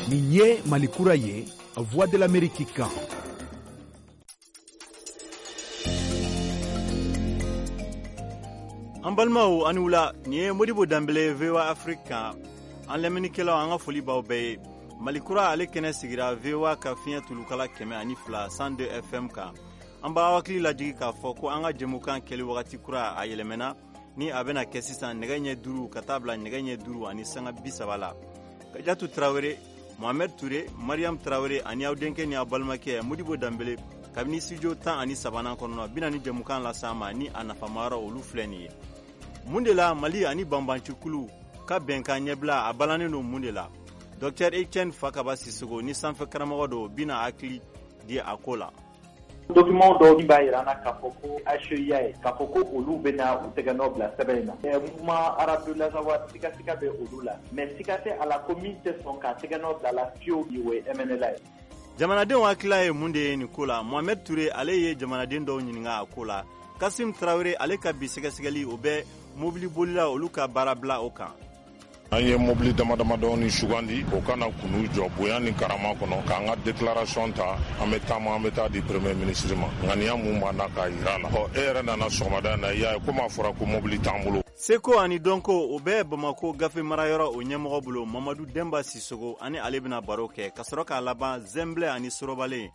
Nin ye Mali kura ye, Voix de l'Amérique kan. An balimaw, ani wula. Nin ye Modibo Danbele, VOA Afrique kan. An lamɛnnikɛlaw, an ka foli b'aw bɛɛ ye. Mali kura ale kɛnɛ sigira VOA ka fiɲɛ tulukala 102, 102 FM kan. An b'a hakili lajigi k'a fɔ ko an ka jɛmukan kɛli wagati kura a yɛlɛmɛna, ni a bɛna kɛ sisan nɛgɛ ɲɛ 5 ka taa bila nɛgɛ ɲɛ 5:30 la. Kajatu Tarawele, Mohamed Touré, Mariam Tarawele ani aw denkɛ ni aw balimakɛ Modibo Danbele, kabini studio 13nan kɔnɔ, bɛna ni jɛmukan las'an ma. Ni a nafamayɔrɔ olu filɛ nin ye: mun de la Mali ani banbancikulu ka bɛnkan ɲɛbila a balannen don? Mun de la Dr Etienne Fakaba Sisoko ni sanfɛ karamɔgɔ don bɛna hakili di a ko la? Document dɔw min b'a yira an na k'a fɔ ko HEIA ye, k'a fɔ ko olu bɛna u tɛgɛ nɔ bila sɛbɛn in na. Mouvement arabe de l'Azawad, sigasiga bɛ olu la, mais siga tɛ a la ko min tɛ sɔn k'a tɛgɛ nɔ bila la fiyewu, o ye MNLA ye. Jamanadenw hakilila ye mun de ye nin ko la? Mohamed Touré, ale ye jamanaden dɔw ɲininka a ko la. Kasim Tarawele, ale ka bi sɛgɛsɛgɛli, o bɛ mobili bolila olu ka baara bila o kan. An ye mobili dama damadɔni sugandi, o kana k'u jɔ bonya ni karama kɔnɔ k'an ka déclaration ta. An bɛ taama, an bɛ taa di premier ministre ma. Ŋaniya mun b'an na k'a yira la. Ɔ, e yɛrɛ nana sɔgɔmada in na, i y'a ye komi a fɔra ko mobili t'an bolo. Seko ani dɔnko, o bɛ Bamako gafe marayɔrɔ o ɲɛmɔgɔ bolo, Mamadu Denba Sisogo, ani ale bɛna baro kɛ ka sɔrɔ k'a laban zɛnbilɛ ani sorobalen.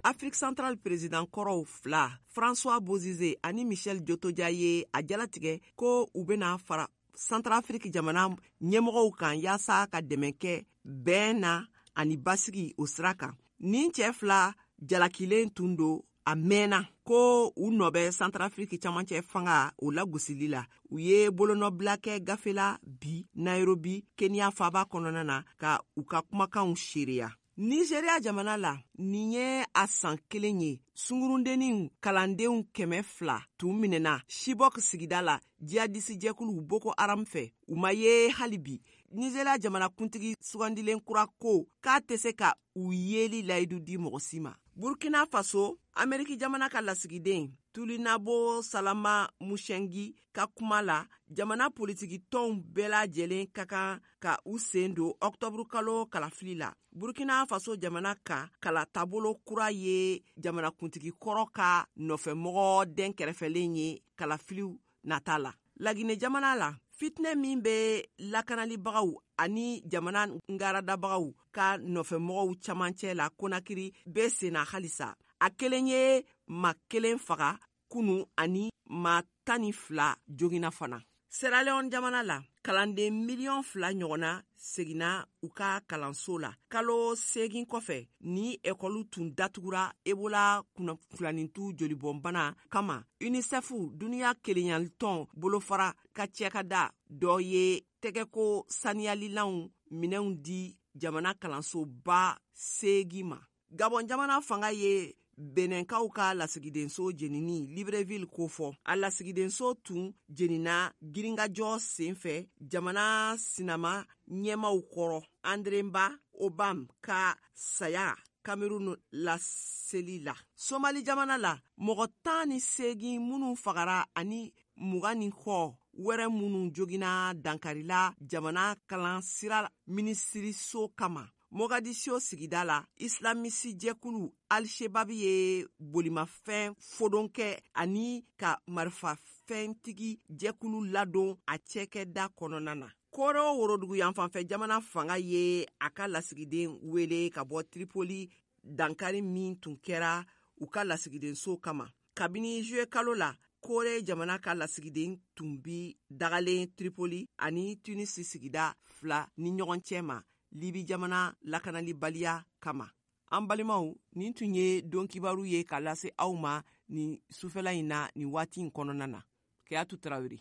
Afrique centrale président kɔrɔw fila, François Bozize ani Michel Djotodia, ye a jalatigɛ ko u bena fara Centrafrique jamana ɲɛmɔgɔw kan yaasa ka dɛmɛ kɛ bɛn na ani basigi o sira kan. Nin cɛɛ fila jalakilen tun don a mɛnna ko u nɔ bɛ Centrafrique camancɛ fanga o lagosili la. U ye bolonɔbila kɛ gafe la bi Nairobi, Kenya faba kɔnɔna na, ka u ka kumakanw seereya. Nigeria jamana la, nin ye a san kelen ye sungurundennin kalandenw 200 tun minɛna Chibok sigida la jihadisi jɛkulu Boko Haram fɛ, u ma ye hali bi. Nigeria jamana kuntigi sugandilen kura ko k'a tɛ se ka u yeli layidu di mɔgɔ si ma. Burkina Faso, Ameriki jamana ka lasigiden Tulinabo Salama Mushengi ka kuma la, jamana politiki tɔnw bɛɛ lajɛlen ka kan ka u sen don ɔktɔburu kalo kalafili la. Burkina Faso jamana ka kala taabolo kura ye jamanakuntigi kɔrɔ ka nɔfɛmɔgɔ den kɛrɛfɛlen ye kalafiliw nata la. Lagine jamana la, fitinɛ min bɛ lakanalibagaw ani jamana ngaradabagaw ka nɔfɛmɔgɔw camancɛ la Konakiri bɛ senna halisa. A kelen ye ma kelen faga kunu ani ma 12 jogina fana. Sierra Leone jamana la, kalanden 2 miliyɔn ɲɔgɔnna seginna u ka kalanso la kalo 8 kɔfɛ ni ekɔli tun datugura Ebola kunfilanintu jolibɔnbana kama. UNICEF, duniɲa kelenyalitɔn bolofara ka cɛkada dɔ ye tɛgɛko saniyalilanw minɛnw di jamana kalansoba 8 ma. Gabɔn jamana fanga ye Benɛnkaw ka lasigidenso jenini Libreville kofɔ. A lasigidenso tun jenina girinkajɔ sen fɛ jamana sinama ɲɛmaw kɔrɔ André Mba Obam ka saya Cameroun laseli la. Somali jamana la, mɔgɔ 18 minnu fagara ani 20 ni kɔ wɛrɛ minnu jogina dankarila jamana kalansira minisiriso kama Mogadisio sigida la, islamisi jɛkulu Al-Shebab ye bolimafɛn fodon kɛ ani ka marifafɛntigi jɛkulu ladon a cɛkɛda kɔnɔna na. Koro worodugu yanfanfɛ jamana fanga ye a ka lasigiden wele ka bɔ Tripoli, dankari min tun kɛra u ka lasigidenso kama. Kabini juillet kalo la, Kore jamana ka lasigiden tun bi dagalen Tripoli ani Tunisi sigida fila ni ɲɔgɔn cɛ ma, Libi jamana lakanalibaliya kama. An balimaw, nin tun ye don kibaru ye ka lase aw ma nin sufɛla in na, nin waati in kɔnɔna na. Keyatu Tarawele.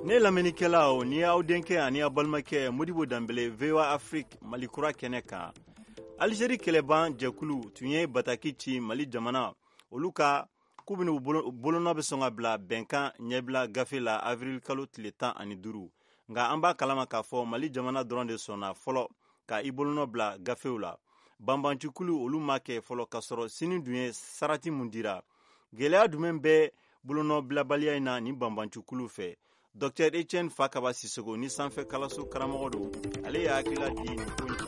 Ne lamɛnnikɛlaw, ni y'aw denkɛ ani aw balimakɛ Modibo Danbele, VOA Afrique, Mali kura kɛnɛ kan. Alizeri kɛlɛban jɛkulu tun ye bataki ci Mali jamana olu ka k'u bɛna bolonɔ bɛ sɔn ka bila bɛnkan ɲɛbila gafe la avril kalo tile 15. Nka an b'a kalama k'a fɔ Mali jamana dɔrɔn de sɔnna fɔlɔ ka i bolonɔ bila gafew la. Banbancikulu olu ma kɛ fɔlɔ, k'a sɔrɔ sini dun ye sarati mun dira. Gɛlɛya jumɛn bɛ bolonɔbilabaliya in na ni banbancikulu fɛ? Dr Etienne Fakaba Sisoko ni sanfɛ kalanso karamɔgɔ don, ale y'a hakilila di nin ko in kan.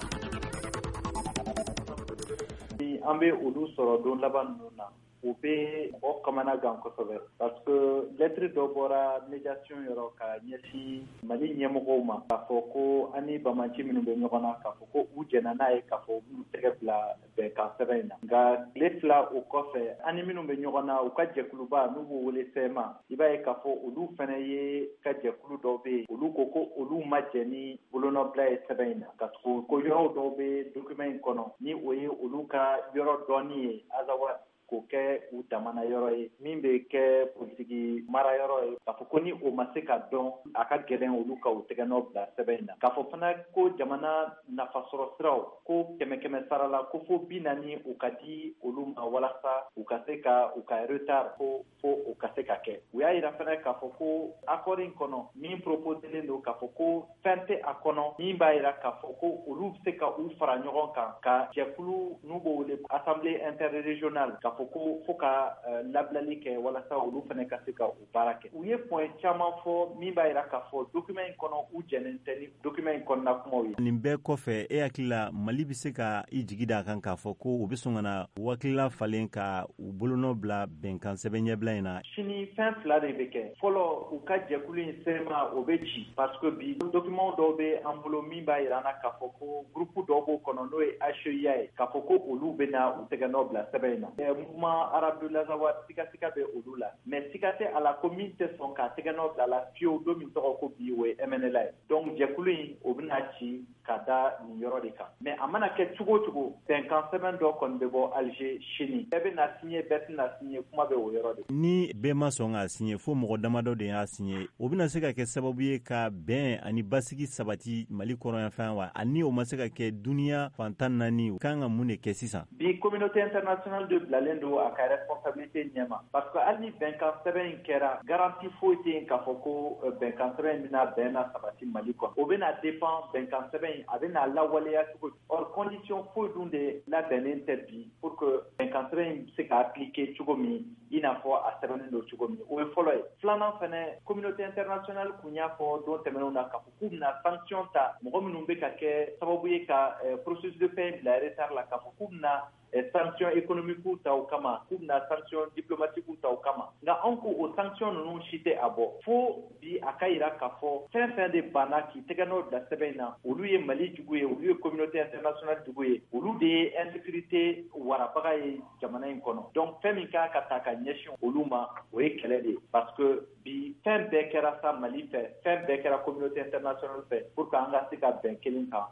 An bɛ olu sɔrɔ don laban ninnu na, o bɛ mɔgɔ kamana gan kosɛbɛ, parce que lettre dɔ bɔra médiation yɔrɔ ka ɲɛsin Mali ɲɛmɔgɔw ma, k'a fɔ ko an ni banbanci minnu bɛ ɲɔgɔn na, k'a fɔ ko u jɛnna n'a ye k'a fɔ u b'u tɛgɛ bila bɛnkan sɛbɛn in na. Nka tile 2 o kɔfɛ, an ni minnu bɛ ɲɔgɔn na, u ka jɛkuluba n'u b'o wele CMA, i b'a ye k'a fɔ olu fana ye ka jɛkulu dɔw bɛ yen, olu ko ko olu ma jɛn ni bolonɔbila ye sɛbɛn in na, ka tugu ko yɔrɔw dɔw bɛ document in kɔnɔ ni o ye olu ka yɔrɔ dɔɔni ye Azawad k'o kɛ u damana yɔrɔ ye min bɛ kɛ politiki mara yɔrɔ ye, k'a fɔ ko ni o ma se ka dɔn, a ka gɛlɛn olu ka u tɛgɛnɔ bila sɛbɛn in na. K'a fɔ fana ko jamana nafasɔrɔ siraw ko 100 sara la, ko fo 40 o ka di olu ma walasa u ka se ka u ka retard ko fo o ka se ka kɛ. U y'a yira fana k'a fɔ ko accord in kɔnɔ min proposelen don, k'a fɔ ko fɛn tɛ a kɔnɔ min b'a yira k'a fɔ ko olu bɛ se ka u fara ɲɔgɔn kan ka jɛkulu n'u b'o wele assemblée interrégionale, k'a fɔ ko fo ka labilali kɛ walasa olu fana ka se ka u baara kɛ. U ye point caman fɔ min b'a yira k'a fɔ document in kɔnɔ, u jɛnnen tɛ ni document in kɔnɔna kumaw ye. Nin bɛɛ kɔfɛ, e hakili la, Mali bɛ se ka i jigi da a kan k'a fɔ ko u bɛ sɔn ka na hakilila falen ka u bolonɔ bila bɛnkan sɛbɛn ɲɛbila in na? Sini fɛn 2 de bɛ kɛ. Fɔlɔ, u ka jɛkulu in CMA, o bɛ ci, parce que bi document dɔw bɛ an bolo min b'a yira an na k'a fɔ ko groupe dɔw b'o kɔnɔ n'o ye HEIA ye, k'a fɔ ko olu bɛ na u tɛgɛnɔ bila sɛbɛn in na. Mouvement arabe de l'Azawad, sigasika bɛ olu la, mais siga tɛ a la ko min tɛ sɔn k'a tɛgɛnɔ bila la fiyewu don min tɔgɔ ko bi, o ye MNLA ye. Donc jɛkulu in, o bɛna ci ka da nin yɔrɔ de kan. Mais a mana kɛ cogo o cogo, bɛnkan sɛbɛn dɔ kɔni bɛ bɔ Alger sini. Bɛɛ bɛ na signer, bɛɛ tɛna signer, kuma bɛ o yɔrɔ de. Ni bɛɛ ma sɔn k'a signer, fo mɔgɔ damadɔ de y'a signer, o bɛna se ka kɛ sababu ye ka bɛn ani basigi sabati Mali kɔrɔnyanfan wa? Ani o ma se ka kɛ, duniya fan 14 kan ka mun de kɛ sisan? Bi communauté internationale de bilalen don a ka responsabilité ɲɛma, parce que hali ni bɛnkan sɛbɛn in kɛra, garantie foyi tɛ yen k'a fɔ ko bɛnkan sɛbɛn in bɛna bɛn na sabati Mali kɔnɔ. O bɛna dépend bɛnkan sɛbɛn in a bɛna lawaleya cogo di. Or condition foyi dun de labɛnnen tɛ bi pour que bɛnkan sɛbɛn in bɛ se ka appliquer cogo min, i n'a fɔ a sɛbɛnnen don cogo min. O ye fɔlɔ ye. Filanan fɛnɛ, communauté internationale kun y'a fɔ don tɛmɛnenw na k'a fɔ k'u bɛna sanction ta mɔgɔ minnu bɛ ka kɛ sababu ye ka processus de paix bila retard la, k'a fɔ k'u bɛna sanction économique ta o kama, k'u bɛna sanction diplomatique ta o kama. Nka anw ko o sanction ninnu si tɛ a bɔ fo bi a ka yira k'a fɔ fɛn fɛn de banna k'i tɛgɛ nɔ bila sɛbɛn in na, olu ye Mali jugu ye, olu ye communauté internationale jugu ye, olu de ye insécurité warabaga ye jamana in kɔnɔ. Donc fɛn min kan ka ta ka ɲɛsin olu ma, o ye kɛlɛ de ye, parce que bi fɛn bɛɛ kɛra sa Mali fɛ, fɛn bɛɛ kɛra communauté internationale fɛ pour que an ka se ka bɛn kelen kan.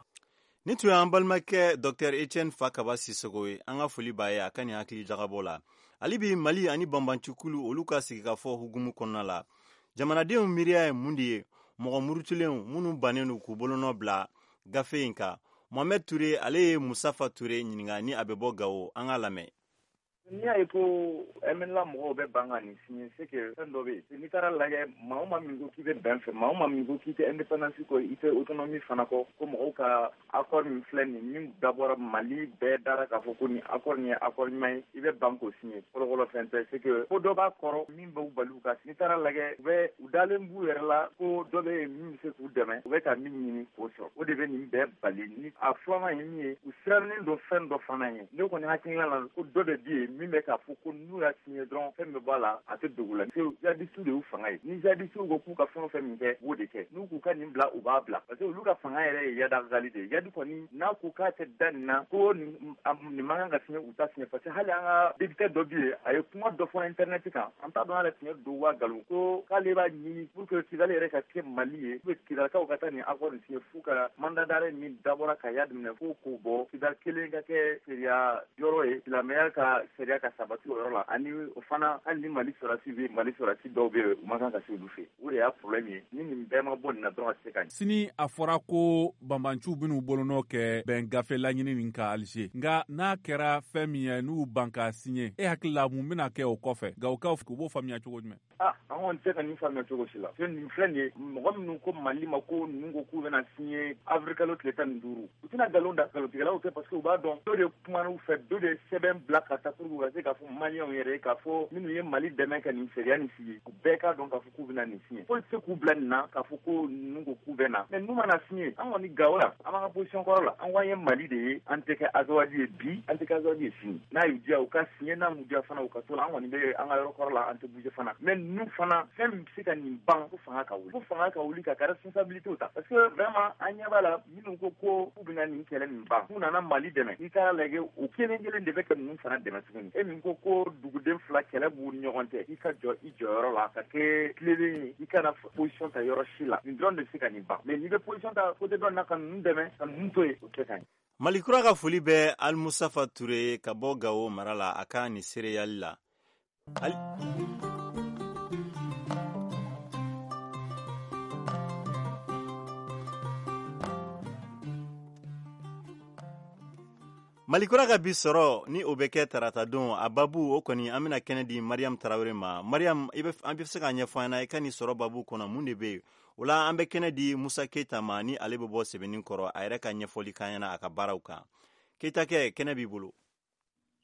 Nin tun y'an balimakɛ Dr Etienne Fakaba Sisoko ye. An ka foli b'a ye a ka nin hakili jagabɔ la. Hali bi Mali ani banbancikulu olu ka sigikafɔ hukumu kɔnɔna la, jamanadenw miiriya ye mun de ye mɔgɔ murutulenw minnu bannen don k'u bolonɔ bila gafe in kan? Mohamed Ture, ale ye Musafa Ture ɲininka ni a bɛ bɔ Gawo. An k'a lamɛn. N'i y'a ye ko MNLA mɔgɔw bɛ ban ka nin signer, c'est que fɛn dɔ bɛ yen. N'i taara lajɛ, maa o maa min ko k'i bɛ bɛn fɛ, maa o maa min ko k'i tɛ indépendance kɔ, i tɛ autonomie fana kɔ, ko mɔgɔw ka accord min filɛ nin min dabɔra Mali bɛɛ dara k'a fɔ ko nin accord nin ye accord ɲuman ye, i bɛ ban k'o signer, fɔlɔfɔlɔ fɛn tɛ. C'est que ko dɔ b'a kɔrɔ min b'u bali u ka. N'i taara lajɛ, u bɛ u dalen b'u yɛrɛ la ko dɔ bɛ yen min bɛ se k'u dɛmɛ, u bɛ ka min ɲini k'o sɔrɔ, o de bɛ nin bɛɛ bali. Ni a filanan ye min ye, u sirannen don fɛn dɔ fana ye. Ne kɔni hakilina la, ko dɔ de bɛ yen min bɛ k'a fɔ ko n'u y'a signé dɔrɔn, fɛn bɛ bɔ a la, a tɛ dogo la. Jihadistes de y'u fanga ye. Ni jihadistes ko k'u ka fɛn o fɛn min kɛ, u b'o de kɛ. N'u k'u ka nin bila, u b'a bila, parce que olu ka fanga yɛrɛ ye Iyad Ag Ghali de ye. Iyad kɔni n'a ko k'a tɛ da nin na, ko nin man kan ka signé, u ta signé, parce que hali an ka député dɔ bɛ yen, a ye kuma dɔ fɔ internet kan, an t'a dɔn yɛrɛ tiɲɛ don wa nkalon, ko k'ale b'a ɲini pour que Kidali yɛrɛ ka kɛ Mali ye, pour que Kidalikaw ka taa nin accord nin signé, f'u ka mandat d'arrêt min dabɔra ka Iyad minɛ, fo k'o bɔ, Kidali kelen ka kɛ sariya yɔrɔ ye, silamɛya ka sariya. sariya ka sabati o yɔrɔ la, ani o fana hali ni Mali sɔrɔdasi bɛ, Mali sɔrɔdasi dɔw bɛ yen, u man kan ka se olu fɛ. O de y'a problème ye. Ni nin bɛɛ ma bɔ nin na dɔrɔn, a tɛ se ka ɲɛ. Sini a fɔra ko banbanciw bɛn'u bolonɔ kɛ bɛn gafe laɲini nin kan Alger. Nka n'a kɛra fɛn min ye, n'u ban k'a signer, e hakili la mun bɛna kɛ o kɔfɛ? Gawokaw u b'o faamuya cogo jumɛn? Ah, an kɔni tɛ ka nin faamuya cogo si la. Nin filɛ nin ye, mɔgɔ minnu ko Mali ma ko ninnu ko k'u bɛna signer avril kalo tile 15, u tɛna nkalon da, nkalontigɛlaw tɛ, parce que u b'a dɔn dɔ de kuman'u fɛ, dɔ de sɛbɛn bila ka taa pour que u ka se k'a fɔ maliyɛnw yɛrɛ ye, k'a fɔ minnu ye Mali dɛmɛ ka nin sariya nin sigi, u bɛɛ k'a dɔn k'a fɔ k'u bɛna nin signer. Foyi tɛ se k'u bila nin na k'a fɔ ko ninnu ko k'u bɛ na, mais n'u mana signer, an kɔni Gawo la, an b'an ka position kɔrɔ la. An ko an ye Mali de ye, an tɛ kɛ Azawadi ye bi, an tɛ kɛ Azawadi ye sini. N'a y'u diya u ka signer, n'a m'u diya fana u ka to la, an kɔni bɛ an ka yɔrɔ kɔrɔ la, an tɛ bouger fana. Mais ninnu fana, fɛn min bɛ se ka nin ban, ko fanga ka wuli, ko fanga ka wuli ka responsabilité ta, parce que vraiment an ɲɛ b'a la, minnu ko ko k'u bɛna nin kɛlɛ nin ban, k'u nana Mali dɛmɛ, n'i taara lajɛ, o kelen kelen de bɛ ka ninnu fana dɛmɛ tuguni. E min ko ko duguden fila kɛlɛ b'u ni ɲɔgɔn cɛ, i ka jɔ i jɔyɔrɔ la ka kɛ tilennen ye, i kana position ta yɔrɔ si la. Nin dɔrɔn de bɛ se ka nin ban. Mais n'i bɛ position ta côté dɔ in na ka ninnu dɛmɛ, ka ninnu to yen, o tɛ ka ɲɛ. Malikura ka foli bɛ Alimusafa Ture ka bɔ Gawo mara la, a ka nin seereyali la. Malikura ka bi sɔrɔ ni o bɛ kɛ tarata don, a babu o kɔni, an bɛna kɛnɛ di Mariam Tarawele ma. Mariam, i bɛ an bɛ se k'a ɲɛfɔ an ɲɛna, i ka nin sɔrɔ babu kɔnɔ, mun de bɛ yen? O la an bɛ kɛnɛ di Musa Keyita ma, ni ale bɛ bɔ sɛbɛnni kɔrɔ, a yɛrɛ ka ɲɛfɔli k'an ɲɛna a ka baaraw kan. Keyita kɛ, kɛnɛ b'i bolo.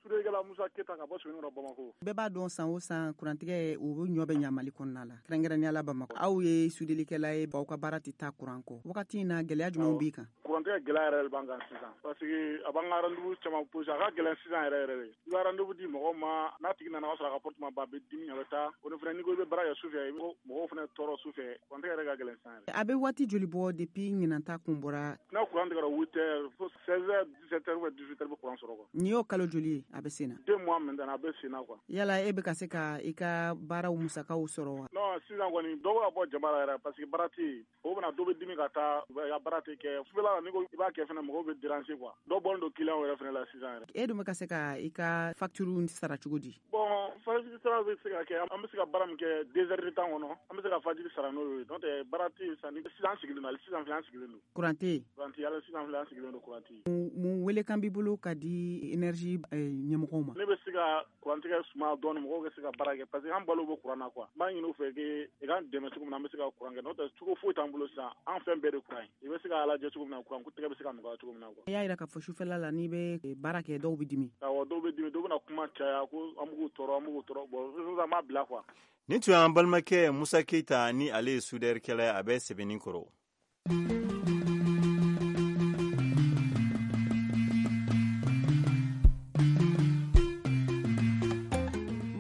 Suurekɛla Musa Keyita ka bɔ Sɛbɛnnikɔrɔ, Bamakɔ. Bɛɛ b'a dɔn, san o san kurantigɛ o bɛ ɲɔ bɛ ɲa Mali kɔnɔna la, kɛrɛnkɛrɛnnenya la Bamakɔ. Aw ye sudelikɛla ye, aw ka baara tɛ taa kuran kɔ. Wagati in na, gɛlɛya jumɛnw b'i kan? Kurantigɛ gɛlɛya yɛrɛ de b'an kan sisan, parce que a b'an ka rendez-vous caman posé, a ka gɛlɛn sisan yɛrɛ yɛrɛ de. I bɛ rendez-vous di mɔgɔw ma, n'a tigi nana, o y'a sɔrɔ a ka porte ma ban, a bɛ dimi, a bɛ taa. O ni fana, n'i ko i bɛ baara kɛ sufɛ, i bɛ mɔgɔw fana tɔɔrɔ sufɛ. Kurantigɛ yɛrɛ ka gɛlɛn sisan yɛrɛ. A bɛ waati joli bɔ depuis ɲinan ta kun bɔra? N'a kuran tigɛra 8 heures fo 16 heures, 17 heures ou 18 heures, bɛ kuran sɔrɔ quoi. Nin y'o kalo joli ye a bɛ sen na? 2 mois maintenant, a bɛ sen na quoi. Yala e bɛ ka se ka i ka baaraw musakaw sɔrɔ wa? Non, sisan kɔni dɔw bɛ ka bɔ jama la yɛrɛ, parce que baara tɛ yen. O bɛna dɔ bɛ dimi ka taa, i ka baara tɛ kɛ sufɛla la. N'i ko i b'a kɛ fana, mɔgɔw bɛ déranger quoi. Dɔw bɔlen don client yɛrɛ fana la sisan yɛrɛ. E dun bɛ ka se ka i ka facture sara cogo di? Bon, facture sara bɛ se ka kɛ, an bɛ se ka baara min kɛ 2 heures de temps kɔnɔ, an bɛ se ka facture sara n'o ye. N'o tɛ, baara tɛ yen sisan. Sisan an sigilen don, hali sisan filɛ, an sigilen don. Kuran tɛ yen. Kuran tɛ yen, hali sisan filɛ, an sigilen don, kuran tɛ yen. Mun welekan b'i bolo ka di énergie ɲɛmɔgɔw ma? Ne bɛ se ka kurantigɛ suma dɔɔni, mɔgɔw ka se ka baara kɛ, parce que an balo bɛ kuran na quoi. N b'a ɲini u fɛ i k'an dɛmɛ cogo min na an bɛ se ka kuran kɛ. N'o tɛ, cogo foyi t'an bolo sisan, an fɛn bɛɛ de kuran ye. I bɛ se k'a lajɛ cogo min na kuran tigɛ bɛ se ka nɔgɔya cogo min na quoi. I y'a jira k'a fɔ sufɛla la, n'i bɛ baara kɛ, dɔw bɛ dimi. Awɔ, dɔw bɛ dimi, dɔw bɛna kuma caya ko an b'u tɔɔrɔ, an b'u tɔɔrɔ. Bon, sisan an b'a bila quoi. Nin tun y'an balimakɛ Musa Keyita, ni ale ye sudɛrikɛla ye, a bɛ sɛbɛnni kɔrɔ.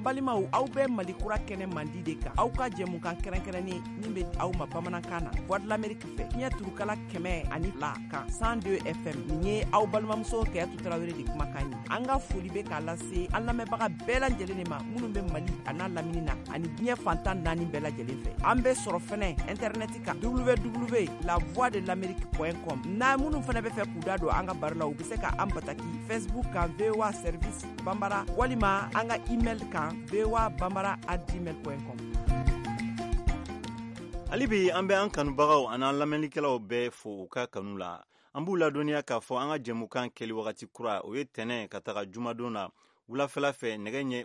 Balimaw, aw bɛ Mali Kura kɛnɛ mandi de kan, aw ka jɛmukan kɛrɛnkɛrɛnnen min bɛ aw ma bamanankan na, Voix de l'Amérique fɛ, fiɲɛ turukala 102 kan, 102 FM. Nin ye aw balimamuso Kɛyatu Tarawele de kumakan ye. An ka foli bɛ k'a lase an lamɛnbaga bɛɛ lajɛlen de ma, minnu bɛ Mali a n'a lamini na ani diɲɛ fantan naani bɛɛ lajɛlen fɛ. An bɛ sɔrɔ fɛnɛ intɛrɛnɛti kan, www la voix de l'amérique com. N'a minnu fɛnɛ bɛ fɛ k'u da don an ka baro la, u bɛ se ka an bataki Facebook kan, VOA service banbara, walima an ka email kan, voa bambara@gmail.com. Hali bi an bɛ an kanubagaw an'an lamɛnnikɛlaw bɛɛ fo u ka kanu la. An b'u ladɔnniya k'a fɔ an ka jɛmukan kɛli wagati kura, o ye tɛnɛ ka taga jumadon na, wulafɛla fɛ, nɛgɛ ɲɛ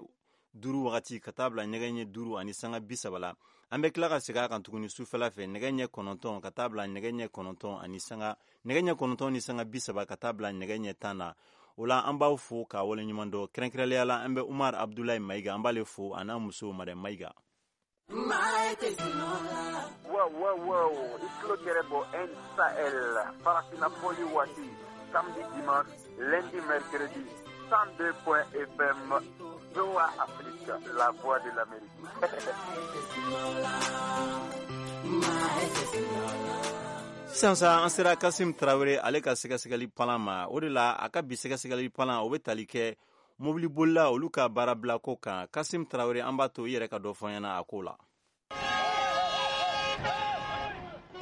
5 wagati ka taa bila nɛgɛ ɲɛ 5 ni sanga 30 la. An bɛ tila ka segin a kan tuguni sufɛla fɛ, nɛgɛ ɲɛ 9 ka taa bila nɛgɛ ɲɛ 9 ani sanga nɛgɛ ɲɛ 9 ni sanga 30 ka taa bila nɛgɛ ɲɛ 10 na. O la an b'aw fo k'a waleɲuman dɔn. Kɛrɛnkɛrɛnnenya la, an bɛ Umar Abdulayi Mayiga, an b'ale fo, a n'a muso Madame Mayiga. Wow, i tulo kɛrɛ bɔ N Sahel farafina fɔli waati, samedi, dimanche, lundi, mercredi, 102 point FM, VOA Afrique, la voix de l'Amérique. Sisan sa, an sera Kasim Tarawele ale ka sɛgɛsɛgɛli palan ma. O de la a ka bi sɛgɛsɛgɛli palan, o bɛ tali kɛ mobilibolila olu ka baarabilako kan. Kasim Tarawele, an b'a to i yɛrɛ ka dɔ fɔ ɲɛna a ko la.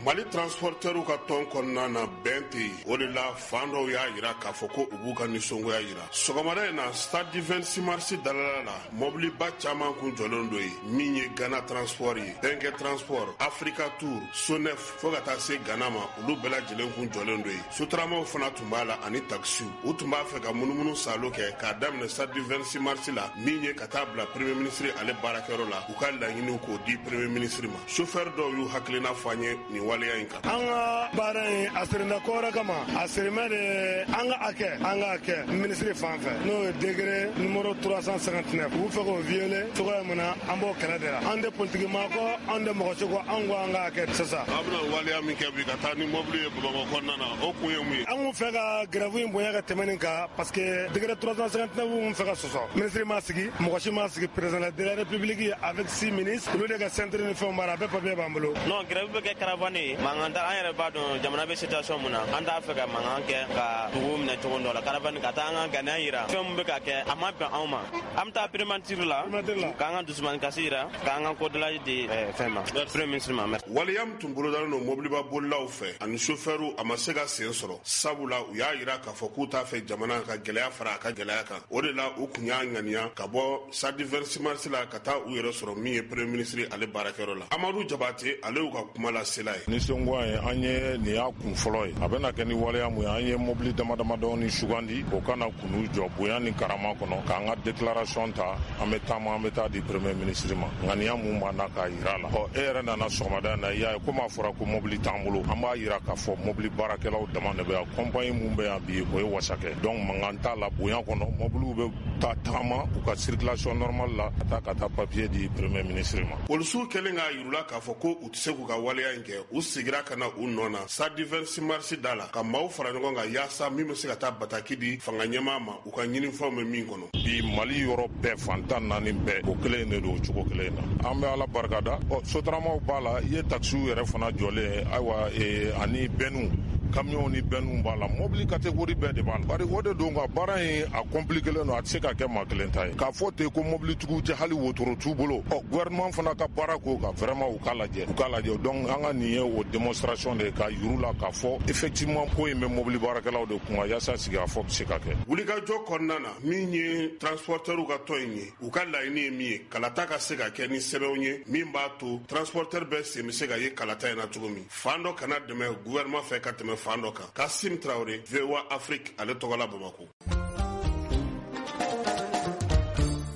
Mali transportɛriw ka tɔn kɔnɔna na, bɛn tɛ yen. O de la, fan dɔw y'a yira k'a fɔ ko u b'u ka nisɔngoya yira. Sɔgɔmada in na, stade du 26 mars dalala la, mɔbiliba caman kun jɔlen don yen, min ye Ghana Transport ye, Bɛnkɛ Transport, Africa Tour, Sonef, fo ka taa se Ghana ma, olu bɛɛ lajɛlen kun jɔlen don yen. Sotaramaw fana tun b'a la ani taxisiw. U tun b'a fɛ ka munumunu salo kɛ k'a daminɛ stade du 26 mars la, min ye ka taa bila premier ministre ale baarakɛyɔrɔ la, u ka laɲiniw k'o di premier ministre ma. Chauffeur dɔw y'u hakilina fɔ an ye nin waleya in kan. An ka baara in, a sirinda ko wɛrɛ kama, a sirimɛ de an ka hakɛ, an ka hakɛ ministre fan fɛ, n'o ye décret numéro 359, u fɛ k'o violer cogoya min na, an b'o kɛlɛ de la. An tɛ politiki maa kɔ, an tɛ mɔgɔ si kɔ, an ko an ka hakɛ sisan. An bɛna waleya min kɛ bi ka taa ni mobili ye Bamakɔ kɔnɔna na, o kun ye mun ye? An kun fɛ ka grève in bonya ka tɛmɛ nin kan, parce que décret 359 mun fɛ ka sɔsɔ, ministre ma sigi, mɔgɔ si ma sigi. Président de la république avec 6 ministres, olu de ka centre ni fɛnw b'a la, a bɛɛ papier b'an bolo. Non, grève bɛ kɛ caravane ye, mankan t'a. An yɛrɛ b'a dɔn jamana bɛ situation mun na, an t'a fɛ ka mankan kɛ ka dugu minɛ cogo dɔ la. Caravane ka taa an ka ŋaniya yira, fɛn mun bɛ ka kɛ, a ma bɛn anw ma. An bɛ taa primature la k'an ka dusumani kasi yira, k'an ka kodɔla di fɛn ma, premier ministre ma. Waleya min tun bolodalen don mobiliba bolilaw fɛ ani sofɛriw, a ma se ka sen sɔrɔ, sabula u y'a yira k'a fɔ k'u t'a fɛ jamana ka gɛlɛya fara a ka gɛlɛya kan. O de la, u kun y'a ŋaniya ka bɔ stade du 26 mars la ka taa u yɛrɛ sɔrɔ min ye premier ministre ale baarakɛyɔrɔ la. Amadu Jabate, ale y'u ka kuma lasela ye. Nisɔngoya ye an ye, nin y'a kun fɔlɔ ye. A bɛna kɛ ni waleya mun ye, an ye mobili dama damadɔni sugandi, o kana k'u jɔ bonya ni karama kɔnɔ k'an ka déclaration ta, an bɛ taama, an bɛ taa di premier ministre ma, ŋaniya mun b'an na k'a yira a la. Ɔ, e yɛrɛ nana sɔgɔmada in na, i y'a ye komi a fɔra ko mobili t'an bolo, an b'a yira k'a fɔ mobili baarakɛlaw dama de bɛ yan. Compagnie mun bɛ yan bi, o ye wasakɛ. Donc mankan t'a la, bonya kɔnɔ, mobiliw bɛ taa tagama u ka circulation normale la ka taa papier di premier ministre ma. Polisiw kɛlen k'a yirula k'a fɔ ko u tɛ se k'u ka waleya in kɛ, u sigira ka na u nɔ na stade du 26 mars da la, ka maaw fara ɲɔgɔn kan yaasa min bɛ se ka taa bataki di fanga ɲɛmaa ma, u ka ɲinifɛnw bɛ min kɔnɔ. Bi, Mali yɔrɔ bɛɛ, fan 14 bɛɛ, o kelen de don, o cogo kelen na. An bɛ Ala barikada. Ɔ, sotaramaw b'a la, i ye taxisiw yɛrɛ fana jɔlen, ayiwa, ani bɛnniw, kamiyɔnw ni bɛnniw b'a la, mobili catégorie bɛɛ de b'a la. Bari o de don ka baara in a compliqué don, a tɛ se ka kɛ maa kelen ta ye. K'a fɔ ten ko mobilitigiw tɛ, hali wotoro t'u bolo. Ɔ, gouvernement fana ka baara ko ka vraiment u k'a lajɛ, u k'a lajɛ. Donc an ka nin ye o démonstration de ye ka yir'u la k'a fɔ effectivement ko in bɛ mobili baarakɛlaw de kun kan, yaasa sigikafɔ bɛ se ka kɛ. Wulikajɔ kɔnɔna na, min ye transportɛriw ka tɔn in ye, u ka laɲini ye min ye, kalata ka se ka kɛ ni sɛbɛnw ye min b'a to transporteur bɛɛ sen bɛ se ka ye kalata in na cogo min, fan dɔ kana dɛmɛ gouvernement fɛ ka tɛmɛ fan dɔ kan. Kasim Traoré, VOA Afrique ale tɔgɔ la, Bamako.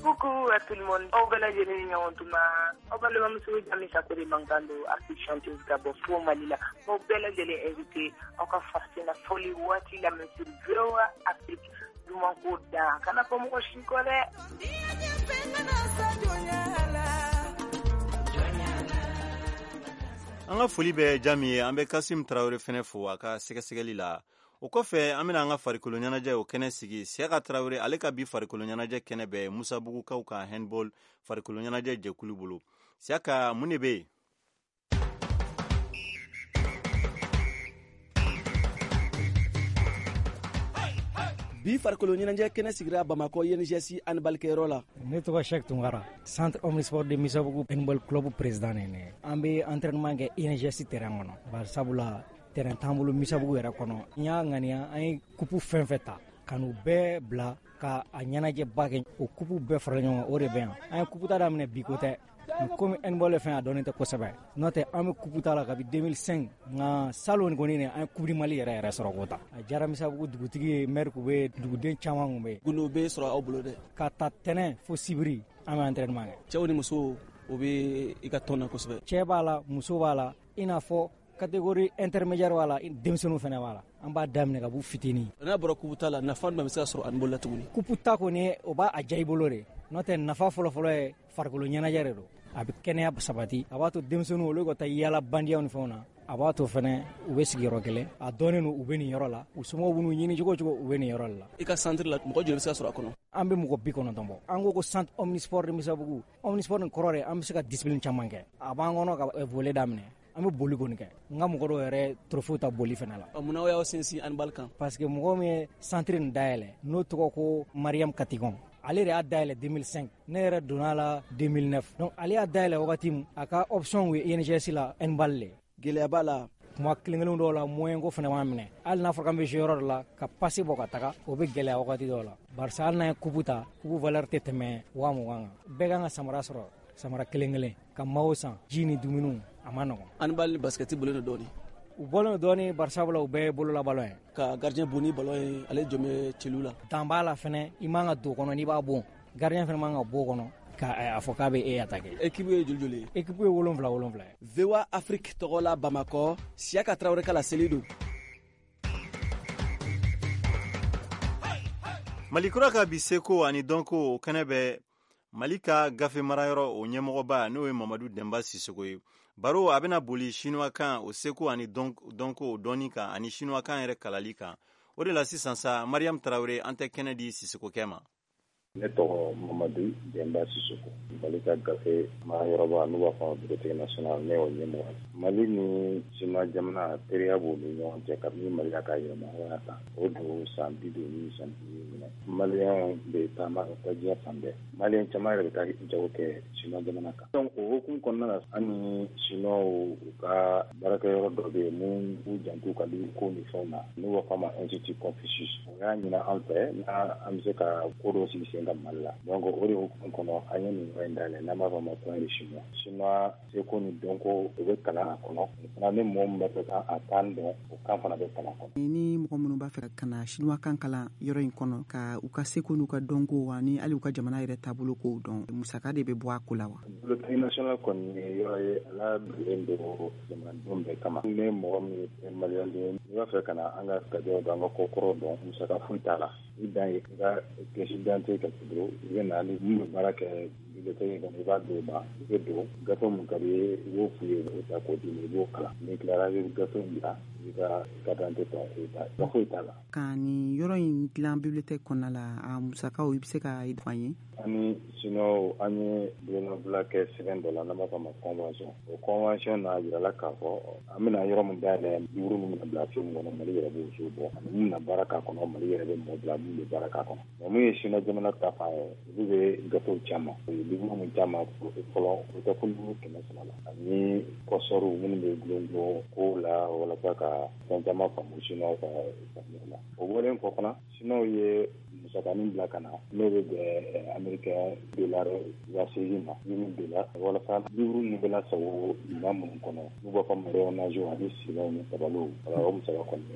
Coucou à tout le monde. Aw bɛɛ lajɛlen ni ɲɔgɔn tuma. Aw balimamuso Jami Sako de mankan don, artiste chanteuse ka bɔ fo Mali la. Aw bɛɛ lajɛlen invité aw ka farafinna fɔli waati lamɛn sur VOA Afrique. Duman ko da kana fɔ mɔgɔ si kɔ dɛ. An ka foli bɛ Jami ye. An bɛ Kasim Tarawele fɛnɛ fo a ka sɛgɛsɛgɛli la. O kɔfɛ, an bɛna an ka farikolo ɲɛnajɛ o kɛnɛ sigi. Siyaka Tarawele, ale ka bi farikolo ɲɛnajɛ kɛnɛ bɛ Musabugukaw ka handball farikolo ɲɛnajɛ jɛkulu bolo. Siyaka, mun de bɛ yen? Bi farikolo ɲɛnajɛ kɛnɛ sigira Bamakɔ INGS handballkɛyɔrɔ la. Ne tɔgɔ Cheikh Tunkara, centre omnisport de Misabugu handball club président ne ne. An bɛ entraînement kɛ INGS terrain kɔnɔ, bari sabula terrain t'an bolo Misabugu yɛrɛ kɔnɔ. N y'a ŋaniya, an ye coupe fɛn fɛn ta ka n'u bɛɛ bila ka a ɲɛnajɛba kɛ, o coupe bɛɛ fara ɲɔgɔn kan, o de bɛ yan. An ye coupe ta daminɛ, bi ko tɛ. Komi handball ye fɛn a dɔnnen tɛ kosɛbɛ, n'o tɛ an bɛ coupe ta la kabi 2005, nka salon kɔni an ye coupe du Mali yɛrɛ yɛrɛ sɔrɔ k'o ta. A diyara Misabugu dugutigi ye, maire kun bɛ yen, duguden caman kun bɛ yen. Gundo bɛ sɔrɔ aw bolo dɛ? Ka ta tɛnɛn fo sibiri, an bɛ entraînement kɛ. Cɛw ni musow, o bɛ i ka tɔn na kosɛbɛ? Cɛ b'a la, muso b'a la, i n'a fɔ catégorie intermédiaire b'a la, denmisɛnninw fana b'a la. An b'a daminɛ ka b'u fitinin. N'a bɔra coupe ta la, nafa jumɛn bɛ se ka sɔrɔ handball la tuguni? Coupe ta kɔni, o b'a a diya i bolo de, n'o tɛ nafa fɔlɔfɔlɔ ye farikolo ɲɛnajɛ de don. A bɛ kɛnɛya sabati, a b'a to denmisɛnninw olu ka taa yaala bandiyaw ni fɛnw na, a b'a to fɛnɛ u bɛ sigiyɔrɔ kelen, a dɔnnen don u bɛ nin yɔrɔ la, u somɔgɔw b'u ɲini cogo o cogo, u bɛ nin yɔrɔ de la. I ka centre la, mɔgɔ joli bɛ se ka sɔrɔ a kɔnɔ? An bɛ mɔgɔ 90 bɔ. An ko centre omnisport de Misabugu. Omnisport nin kɔrɔ de, an bɛ se ka discipline caman kɛ. A b'an kɔnɔ ka volley daminɛ, an bɛ boli kɔni kɛ. N ka mɔgɔ dɔw yɛrɛ trophée ta boli fɛnɛ la. Munna aw y'aw sinsin handball kan? Parce que mɔgɔ min ye centre nin dayɛlɛ, n'o tɔgɔ ko Mariam Katikɔn, ale de y'a dayɛlɛ 2005, ne yɛrɛ donna la 2009. Donc ale y'a dayɛlɛ wagati min, a ka option ye INGS la handball le. Gɛlɛya b'a la. Kuma kelen kelen dɔw la moyen ko fana b'an minɛ. Hali n'a fɔra k'an bɛ jouer yɔrɔ dɔ la ka passe bɔ ka taga, o bɛ gɛlɛya wagati dɔw la. Barisa hali n'an ye coupe ta, coupe valeur tɛ tɛmɛ 20,000 kan. Bɛɛ kan ka samara sɔrɔ, samara kelen kelen, ka maillot san, ji ni dumuniw, a ma nɔgɔn. Handball ni basket bɔlen don dɔɔni. U bɔlen don dɔɔni bari sabula u bɛɛ ye bololabalon ye. Ka gardien bon ni ballon ye, ale jɔn bɛ celu la. Dan b'a la fɛnɛ, i man ka don kɔnɔ n'i b'a bon. Gardien fɛnɛ man ka bɔ kɔnɔ ka a fɔ k'a bɛ e attaquer. Équipe ye joli joli ye? Équipe ye 7 7 ye. VOA Afrique tɔgɔ la Bamakɔ, Siyaka Tarawele ka laseli don. Mali kura ka bi seko ani dɔnko o kɛnɛ bɛ Mali ka gafe marayɔrɔ o ɲɛmɔgɔba n'o ye Mamadu Dɛnba Sisoko ye. Baro a bɛna boli sinuwakan o seko ani dɔnko o dɔnni kan ani sinuwakan yɛrɛ kalali kan. O de la sisan sa Mariam Tarawele an tɛ kɛnɛ di Sisokokɛ ma. Ne tɔgɔ Mamadu Dɛnba Sisoko, Mali ka gafe marayɔrɔba n'u b'a fɔ Bibliothèque nationale, ne y'o ɲɛmɔgɔ ye. Mali ni Siniwa jamana teriya b'u ni ɲɔgɔn cɛ kabini Mali y'a ka yɛrɛmahɔrɔnya ta, o don san 50 ni san 50 ɲinɛ. Maliyɛnw bɛ taama ka taa diɲɛ fan bɛɛ. Maliyɛn caman yɛrɛ bɛ taa jago kɛ Siniwa jamana kan. Donc o hukumu kɔnɔna la, an ni Siniwaw u ka baarakɛyɔrɔ dɔ bɛ yen mun b'u janto u ka livre ko ni fɛnw na, n'u b'a fɔ a ma Institut Confucius. O y'a ɲini an fɛ n'an bɛ se ka ko dɔ sigi sen ka Mali la. Donc o de hukumu kɔnɔ an ye nin yɔrɔ in dayɛlɛ n'an b'a fɔ a ma Coin de Chinois. Chinois seko ni dɔnko o bɛ kalan a kɔnɔ. O fana ni mɔgɔ min b'a fɛ ka a kan dɔn, o kan fana bɛ kalan a kɔnɔ. Ni mɔgɔ minnu b'a fɛ ka na chinois kan kalan yɔrɔ in kɔnɔ, ka u ka seko n'u ka dɔnko ani hali u ka jamana yɛrɛ taabolo kow dɔn, musaka de bɛ bɔ a ko la wa? Bibliothèque nationale kɔni ye yɔrɔ ye a labilalen don jamanadenw bɛɛ kama. Ni mɔgɔ min ye maliyɛn den ye, n'i b'a fɛ ka na an ka tabiyaw dɔn, an ka kokɔrɔw dɔn, musaka foyi t'a la. I dan ye i ka pièce d'identité ka k'i bolo, i bɛ na ni min bɛ baara kɛ bibliothèque kɔnɔ, i b'a d'o ma, i bɛ don gafe mun ka di i ye, i b'o f'u ye, o ta k'o d'i ma, i b'o kalan. N'i tilara, i bɛ gafe in bila, i ka carte d'identité ta, i bɛ taa. Gafe foyi t'a la. Ka nin yɔrɔ in dilan bibliothèque kɔnɔna la, a musakaw i bɛ se ka fɔ an ye? An ni Siniwaw an ye bolonɔbila kɛ sɛbɛn dɔ la n'an b'a fɔ a ma convention. O convention n'a jirala k'a fɔ an bɛna yɔrɔ min dayɛlɛ, livre min bɛna bila so min kɔnɔ, Mali yɛrɛ b'o so bɔ. Ani mun bɛna baara k'a kɔnɔ, Mali yɛrɛ bɛ mɔgɔ bila mun bɛ baara k'a kɔnɔ. Mais mun ye Siniwa jamana ta fan ye, olu bɛ gafew caman. U ye livre min caman fɔlɔ, o bɛ taa fo livre 300 la. Ani kɔsɔriw minnu bɛ gulon gulon kow la walasa ka fɛn caman faamu Siniwaw ka faamuya la. O bɔlen kɔ fana, Siniwaw ye musakanin bila ka na n'o bɛ bɛn américain dollar 8,000 ma, $8,000, walasa livre ninnu bɛ lasago minɛn minnu kɔnɔ n'u b'a fɔ ma rayonnage ani silaw ni tabaliw, wala o musaka kɔni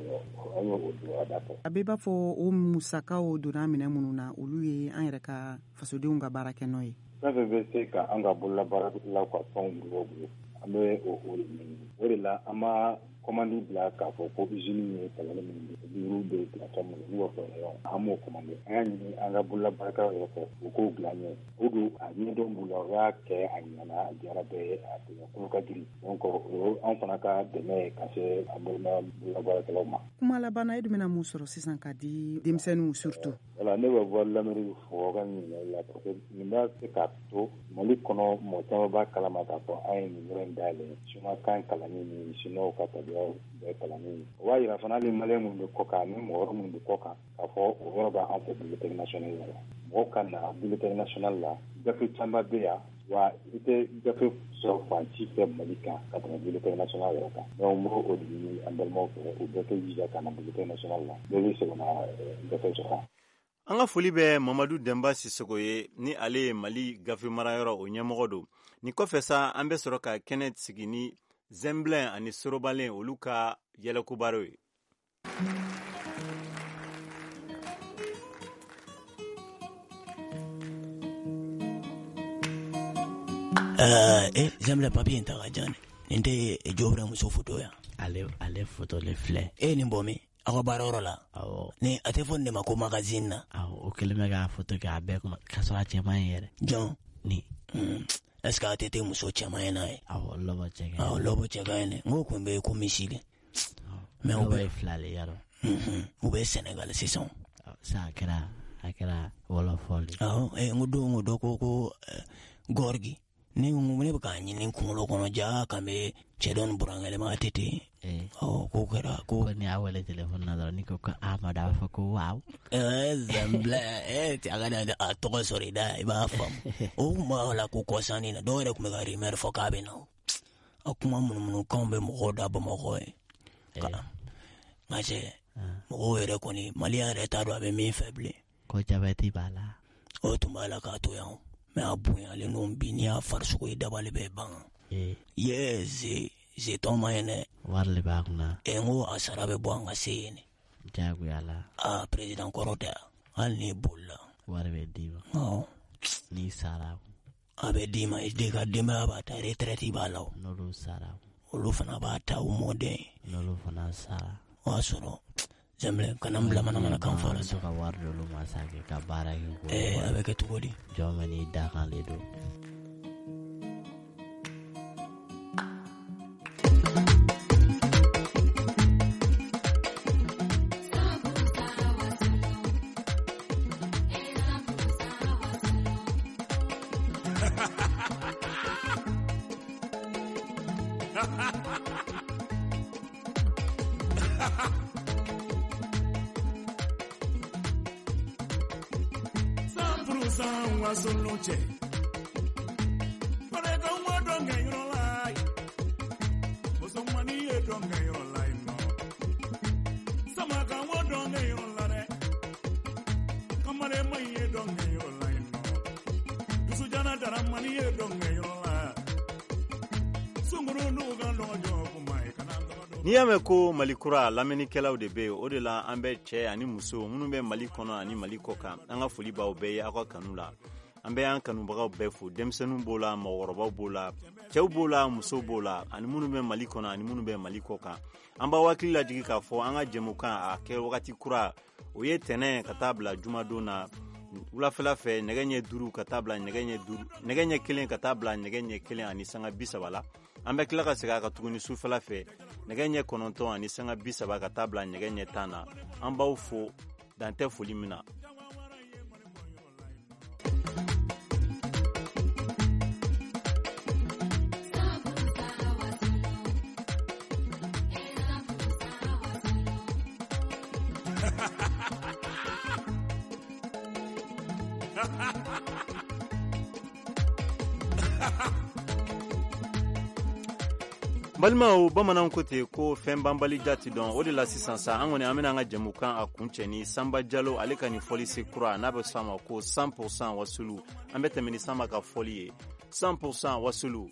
an y'o don a da fɛ. A bɛ b'a fɔ o musakaw donna minɛn minnu na, olu ye an yɛrɛ ka fasodenw ka baarakɛnɔ ye. Fɛn fɛn bɛ se ka an ka bololabaaralaw ka fɛnw bɔ bolo, an bɛ o de ɲini. O de la an ma commande bila k'a fɔ ko usine ye tabali minnu bɛ livre bɛ bila fɛn minnu n'u b'a fɔ rayon, an m'o commande. An y'a ɲini an ka bololabaarakɛlaw yɛrɛ fɛ u k'o bila an ɲɛ. O don a ɲɛdɔn b'u la, u y'a kɛ a ɲɛna, a diyara bɛɛ ye, a bonya kolo ka girin. Donc o ye anw fana ka dɛmɛ ye ka se an balima bololabaarakɛlaw ma. Kuma laban na, e dun bɛna mun sɔrɔ sisan ka di denmisɛnninw surtout? Voilà, ne bɛ Voix de l'Amérique fo aw ka ɲininkali la parce que nin b'a se k'a to Mali kɔnɔ mɔgɔ caman b'a kalama k'a fɔ an ye nin yɔrɔ in dayɛlɛ chinois kan kalanni ni chinois ka tabiyaw bɛɛ kalanni. O b'a yira fana hali maliyɛn minnu bɛ kɔ kan ani mɔgɔ wɛrɛ minnu bɛ kɔ kan k'a fɔ o yɔrɔ b'an fɛ Bibliothèque nationale la. Mɔgɔw ka na Bibliothèque nationale la, gafe caman bɛ yan, wa i tɛ gafe sɔrɔ fan si fɛ Mali kan ka tɛmɛ Bibliothèque nationale yɛrɛ kan. Donc n b'o de ɲini an balimaw fɛ, u bɛɛ k'u jija ka na Bibliothèque nationale la, bɛɛ bɛ se ka na gafe sɔrɔ. An ka foli bɛ Mamadu Dɛnba Sisoko ye, ni ale ye Mali gafe marayɔrɔ o ɲɛmɔgɔ don. Nin kɔfɛ sa, an bɛ sɔrɔ ka kɛnɛ sigi ni Zɛnbilɛn ani Sorobalen olu ka yɛlɛkobaro ye. Zɛnbilɛn, papiye in ta ka jan. Nin tɛ Jobira muso foto ya? Ale foto le filɛ. E ye nin bɔ min? Aw ka baarayɔrɔ la? Awɔ. Ni a tɛ fɔ nin de ma ko magazine na? Awɔ, o kɛlen bɛ k'a foto kɛ a bɛɛ kuma k'a sɔrɔ a cɛ man ɲi yɛrɛ. Jɔn? Ni. Est-ce que a tɛ tɛ muso cɛman ye n'a ye? Awɔ, lɔbɔ cɛ ka ɲi. Awɔ, lɔbɔ cɛ ka ɲi dɛ. N ko kun bɛ ko misi de. Mais u Lɔbɔ bɛ ye fila le yarɔ. U bɛ Senegal sisan. Sisan a kɛra wɔlɔfɔ le. Awɔ, n ko don ko dɔ ko Gorgui. Ne ko ne bɛ k'a ɲini kunkolo kɔnɔ ja kan bɛ cɛ dɔ ni burankɛ ma a tɛ ten. Ɔ, k'o kɛra ko Ko ni y'a wele téléphone na dɔrɔn n'i ko ko Amadu a b'a fɔ ko waaw. Zɛnbilɛ, cɛ a ka na a tɔgɔ sɔrɔ i da, i b'a faamu. O kun b'a la ko kɔsannin na, dɔw yɛrɛ tun bɛ ka rumeur fɔ k'a bɛ na. A kuma munumunukanw bɛ mɔgɔw da Bamakɔ ye. Nka cɛ, mɔgɔw yɛrɛ kɔni, maliyɛn yɛrɛ t'a dɔn a bɛ min fɛ bilen. Ko jabɛti b'a la. O tun b'a la k'a to yan. Mais a bonyalen don bi, n'i y'a farisogo ye, dabali bɛ ban. Ye ze tɔn ma ye dɛ. Wari de b'a kunna. N ko a sara bɛ bɔ an ka se yen. Jagoya la. Aa, président kɔrɔ tɛ, hali n'i bolila. Wari bɛ d'i ma. Awɔ. N'i sara. A bɛ d'i ma, i den ka denbaya b'a ta, retraite b'a la o. N'olu sara. Olu fana b'a ta, u mɔden. N'olu fana sara. O y'a sɔrɔ Zɛnbile kana n bila manamana kan fɔ la sa. Ka wari d'olu ma sa kɛ ka baara kɛ. A bɛ kɛ cogo di? Jɔn bɛ n'i da kan de don. N'i y'a mɛn ko Mali kura, lamɛnnikɛlaw de bɛ yen. O de la an bɛ cɛ ani muso minnu bɛ Mali kɔnɔ ani Mali kɔ kan, an ka foli b'aw bɛɛ ye aw ka kanu la. An bɛ an kanubagaw bɛɛ fo, denmisɛnninw b'o la, mɔgɔkɔrɔbaw b'o la, cɛw b'o la, musow b'o la, ani minnu bɛ Mali kɔnɔ ani minnu bɛ Mali kɔ kan. An b'aw hakili lajigin k'a fɔ an ka jɛmukan a kɛ wagati kura, o ye tɛnɛn ka taa bila jumadon na wulafɛla fɛ, nɛgɛ ɲɛ 5 ka taa bila nɛgɛ ɲɛ 1 ka taa bila nɛgɛ ɲɛ 1:30 la. An bɛ tila ka segin a kan tuguni sufɛla fɛ, nɛgɛ ɲɛ 9:30 ka taa bila nɛgɛ ɲɛ 10 na. An b'aw fo dan tɛ foli min na. Balimaw, bamananw ko ten ko fɛn banbali jati dɔn. O de la sisan sa, an kɔni an bɛna an ka jɛmukan a kuncɛ ni Sanba Jalo ale ka nin fɔli se kura, n'a bɛ s'a ma ko 100% wasulu. An bɛ tɛmɛ ni Sanba ka fɔli ye, 100% wasulu.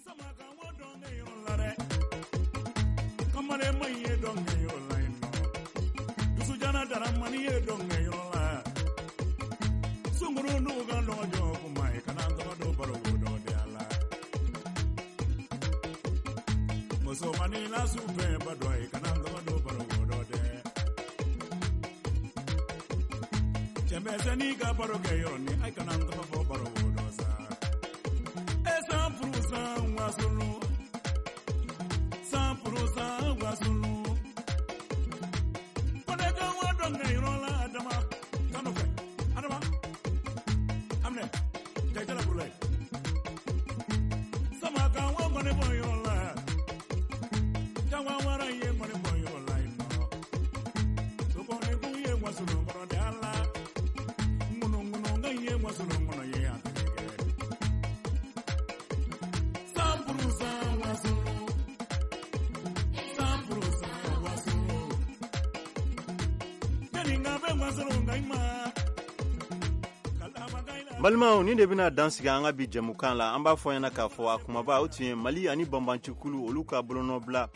Balimaw, nin de bɛna dan sigi an ka bi jɛmukan la. An b'a fɔ ɲɛna k'a fɔ a kumaba o tun ye Mali ani banbancikulu olu ka bolonɔbila,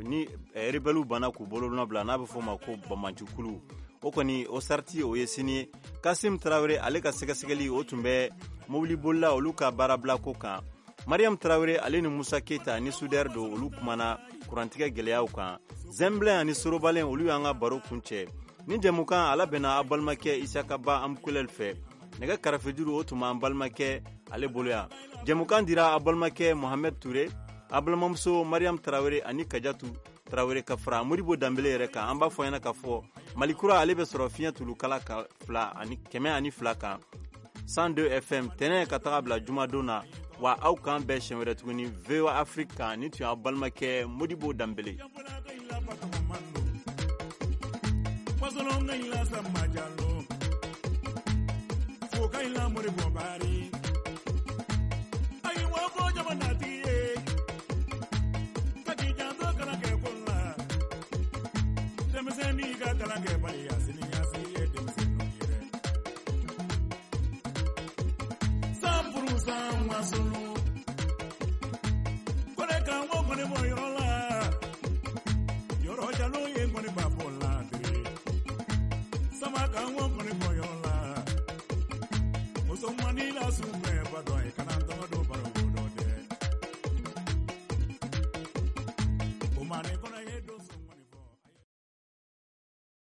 ni rebelles banna k'u bolonɔbila, n'a bɛ fɔ o ma ko banbancikulu. O kɔni o sarati o ye sini ye. Kasim Tarawele ale ka sɛgɛsɛgɛli o tun bɛ mobilibolila olu ka baarabila ko kan. Mariam Tarawele ale ni Musa Keyita ni Sudɛri don, olu kumana kurantigɛ gɛlɛyaw kan. Zɛnbilɛn ani Sorobalen olu y'an ka baro kuncɛ. Ni jɛmukan ala bɛnna aw balimakɛ Isaka Ba Amkulɛli fɛ. Nɛgɛ karafejuru o tun b'an balimakɛ ale bolo yan. Jɛmukan dira aw balimakɛ Mohamed Ture, a balimamuso Mariam Tarawele ani Kajatu Tarawele ka fara Modibo Danbele yɛrɛ kan. An b'a fɔ ɲɛna k'a fɔ Mali kura ale bɛ sɔrɔ fiɲɛ tulukala ka 202 kan 102 FM tɛnɛ ka taga bila jumadon na. Wa aw k'an bɛɛ siɲɛ wɛrɛ tuguni VOA Afrique kan. Ni tun y'aw balimakɛ Modibo Danbele. N'i ka kalan kɛbaliya, siniɲɛsigi ye denmisɛnninw ye dɛ. 100% wasolo.